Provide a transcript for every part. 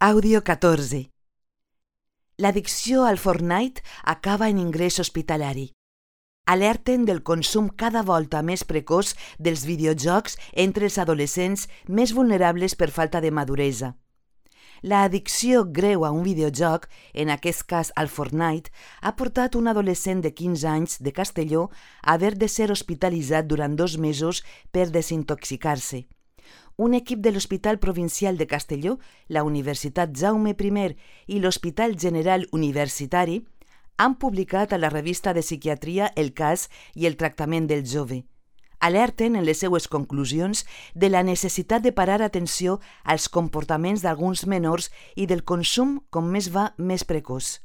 Àudio 14. L'addicció al Fortnite acaba en ingrés hospitalari. Alerten del consum cada volta més precoç dels videojocs entre els adolescents més vulnerables per falta de maduresa. L'addicció greu a un videojoc, en aquest cas al Fortnite, ha portat un adolescent de 15 anys de Castelló a haver de ser hospitalitzat durant 2 mesos per desintoxicar-se. Un equip de l'Hospital Provincial de Castelló, la Universitat Jaume I i l'Hospital General Universitari han publicat a la revista de psiquiatria el cas i el tractament del jove. Alerten en les seues conclusions de la necessitat de parar atenció als comportaments d'alguns menors i del consum, com més va, més precoç.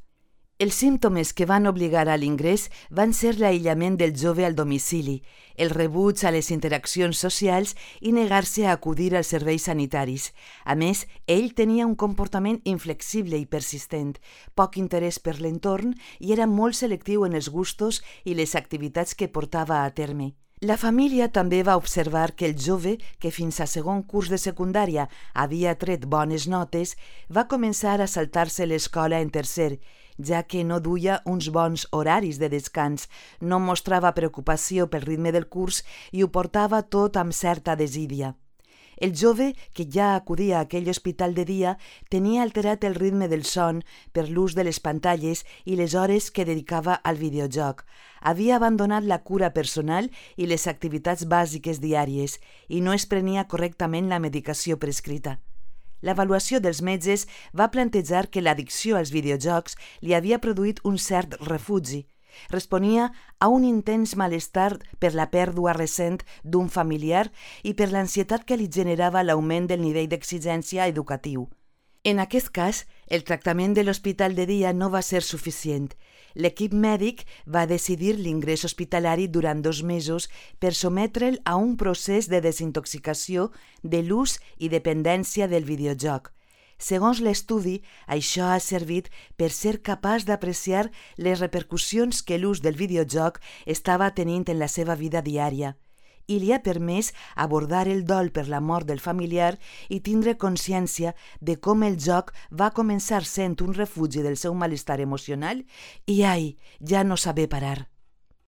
Els símptomes que van obligar a l'ingrés van ser l'aïllament del jove al domicili, el rebuig a les interaccions socials i negar-se a acudir als serveis sanitaris. A més, ell tenia un comportament inflexible i persistent, poc interès per l'entorn i era molt selectiu en els gustos i les activitats que portava a terme. La família també va observar que el jove, que fins a segon curs de secundària havia tret bones notes, va començar a saltar-se l'escola en tercer, ja que no duia uns bons horaris de descans, no mostrava preocupació pel ritme del curs i ho portava tot amb certa desídia. El jove, que ja acudia a aquell hospital de dia, tenia alterat el ritme del son per l'ús de les pantalles i les hores que dedicava al videojoc. Havia abandonat la cura personal i les activitats bàsiques diàries i no es prenia correctament la medicació prescrita. L'avaluació dels metges va plantejar que l'addicció als videojocs li havia produït un cert refugi. Responia a un intens malestar per la pèrdua recent d'un familiar i per l'ansietat que li generava l'augment del nivell d'exigència educatiu. En aquest cas, el tractament de l'hospital de dia no va ser suficient. L'equip mèdic va decidir l'ingrés hospitalari durant 2 mesos per sotmetre'l a un procés de desintoxicació de l'ús i dependència del videojoc. Segons l'estudi, això ha servit per ser capaç d'apreciar les repercussions que l'ús del videojoc estava tenint en la seva vida diària i li ha permès abordar el dol per la mort del familiar i tindre consciència de com el joc va començar sent un refugi del seu malestar emocional i, ja no saber parar.